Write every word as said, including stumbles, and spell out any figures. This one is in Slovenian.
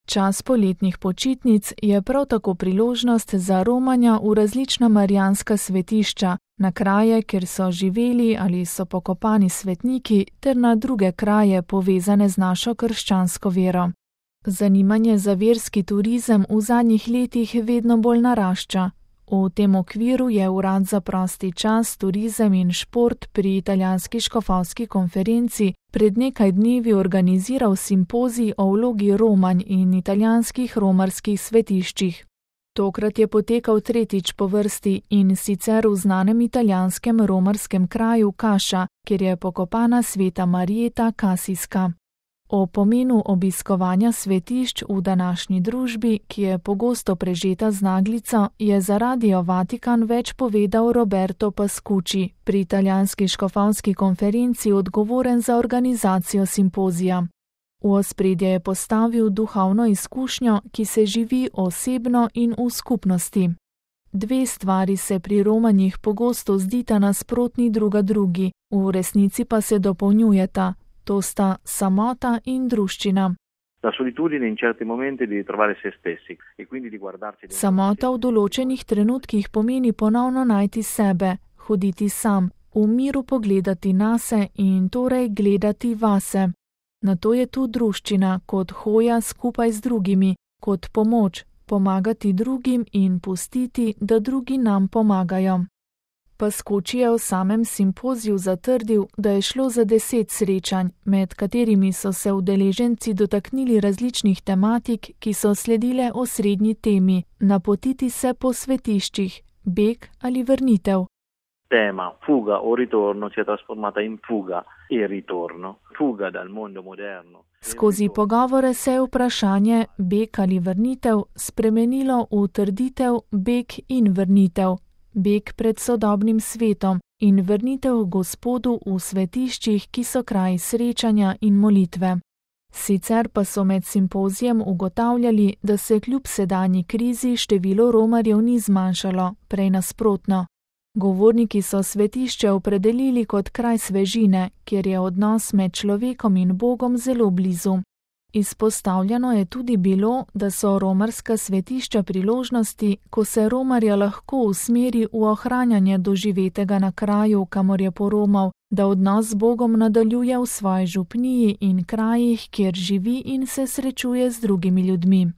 Čas poletnih počitnic je prav tako priložnost za romanja v različna marijanska svetišča, na kraje, kjer so živeli ali so pokopani svetniki, ter na druge kraje povezane z našo krščansko vero. Zanimanje za verski turizem v zadnjih letih vedno bolj narašča. V tem okviru je Urad za prosti čas, turizem in šport pri italijanski škofovski konferenci pred nekaj dnevi organiziral simpozij o vlogi romanj in italijanskih romarskih svetiščih. Tokrat je potekal tretjič po vrsti in sicer v znanem italijanskem romarskem kraju Kaša, kjer je pokopana sveta Marijeta Kasijska. O pomenu obiskovanja svetišč v današnji družbi, ki je pogosto prežeta z naglico, je za Radio Vatikan več povedal Roberto Pascucci, pri italijanski škofovski konferenci odgovoren za organizacijo simpozija. V ospredje je postavil duhovno izkušnjo, ki se živi osebno in v skupnosti. Dve stvari se pri romanjih pogosto zdita nasprotni druga drugi, v resnici pa se dopolnjujeta. To sta samota in druščina. Samota v določenih trenutkih pomeni ponovno najti sebe, hoditi sam, v miru pogledati nase in torej gledati vase. Nato je tu druščina kot hoja skupaj z drugimi, kot pomoč, pomagati drugim in pustiti, da drugi nam pomagajo. Pascucci je v samem simpoziju zatrdil, da je šlo za deset srečanj, med katerimi so se udeleženci dotaknili različnih tematik, ki so sledile osrednji temi: napotiti se po svetiščih, beg ali vrnitev. Tema fuga o ritorno si je trasformata in fuga e ritorno, fuga dal mondo moderno. Skozi pogovore se je vprašanje beg ali vrnitev spremenilo v trditev beg in vrnitev. Beg pred sodobnim svetom in vrnitev Gospodu v svetiščih, ki so kraji srečanja in molitve. Sicer pa so med simpozijem ugotavljali, da se kljub sedanji krizi število romarjev ni zmanjšalo, prej nasprotno. Govorniki so svetišče opredelili kot kraj svežine, kjer je odnos med človekom in Bogom zelo blizu. Izpostavljeno je tudi bilo, da so romarska svetišča priložnosti, ko se romarja lahko usmeri v ohranjanje doživetega na kraju, kamor je poromal, da odnos z Bogom nadaljuje v svoji župniji in krajih, kjer živi in se srečuje z drugimi ljudmi.